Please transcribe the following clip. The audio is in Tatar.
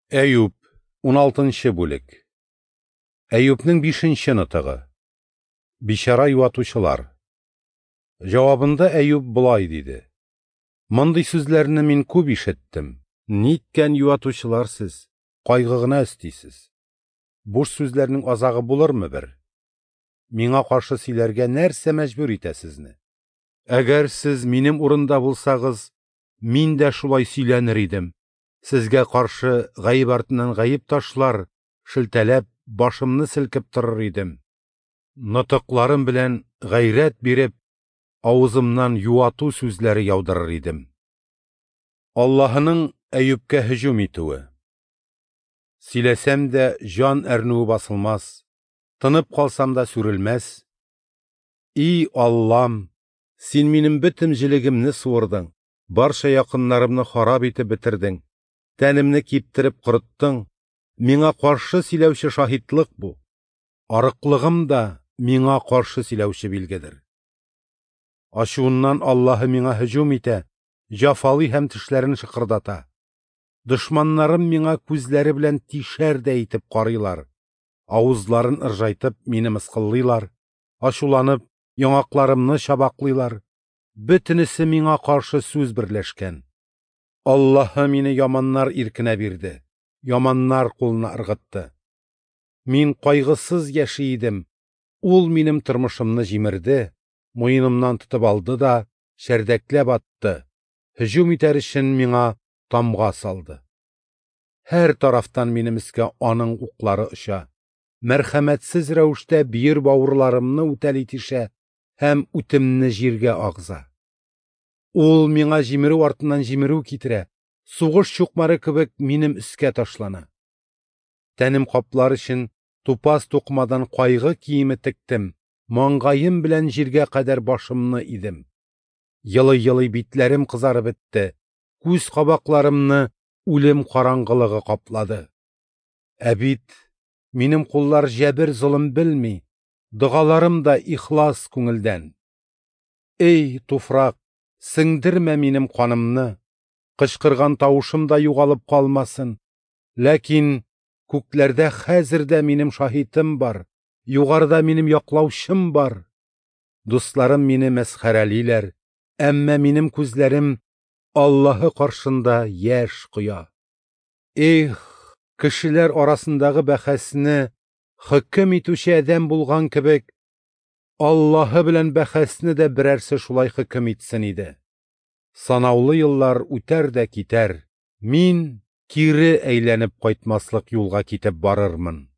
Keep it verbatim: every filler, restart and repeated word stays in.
Әюп, уналтынчы бүлек. Әюпнең бишенче нотыгы. Бичара юатучылар. Җавабында Әюп болай диде: Мондый сүзләрне мин күп ишеттем. Ниткән юатучылар сез, кайгы гына өстисез. Буш сүзләрнең азагы булырмы бер? Миңа каршы сөйләргә нәрсә мәҗбүр итә сезне? Әгәр сез минем урында булсагыз, мин дә шулай сөйләнер идем. Сезгә каршы гаеп артыннан гаеп ташлар, шелтәләп, башымны селкеп торыр идем. Нотыкларым белән гайрәт биреп, авызымнан юату сүзләре яудырыр идем. Аллаһының Әюпкә һөҗүм итүе. Сөйләсәм дә җан әрнүе басылмас, тынып калсам да сүрелмәс. И Аллам, син минем бөтен җелегемне суырдың, барча якыннарымны харап итеп бетердең. Тәнемне киптереп корыттың, миңа каршы сөйләүче шаһитлык бу. Арыклыгым да миңа каршы сөйләүче билгедер. Ачуыннан Аллаһы миңа һөҗүм итә, җафалый һәм тешләрен шыкырдата. Дошманнарым миңа күзләре белән тишәр дә итеп карыйлар. Авызларын ыржайтып мине мыскыллыйлар, ачуланып яңакларымны чабаклыйлар. Бөтенесе миңа каршы сүз берләшкән. Аллаһы мине яманнар иркенә бирде, яманнар кулына ыргытты. Мин кайгысыз яши идем, ул минем тормышымны җимерде, муенымнан тотып алды да чәрдәкләп атты, һөҗүм итәр өчен миңа тамга салды. Һәр тарафтан минем өскә аның уклары оча, мәрхәмәтсез рәвештә бөер бавырларымны үтәли тишә һәм үтемне җиргә агыза. Ул миңа җимерү артыннан җимерү китерә, сугыш чукмары кебек минем өскә ташлана. Тәнем каплар өчен тупас тукымадан кайгы киеме тектем, маңгаем белән җиргә кадәр башымны идем. Елый-елый битләрем кызарып бетте, күз кабакларымны үлем караңгылыгы каплады. Ә бит минем куллар җәбер золым белми, догаларым да ихлас күңелдән. Эй, туфрак, сеңдермә минем канымны, кычкырган тавышым да югалып калмасын. Ләкин күкләрдә хәзер дә минем шаһитым бар, югарыда минем яклаучым бар. Дусларым мине мәсхәрәлиләр, әмма минем күзләрем Аллаһы каршында яшь коя. Эх, кешеләр арасындагы бәхәсне хөкем итүче адәм булган кебек, Аллаһы белән бәхәсне дә берәрсе шулай хөкем итсен иде. Санаулы еллар үтәр дә китәр, мин кире әйләнеп кайтмаслык юлга китеп барырмын.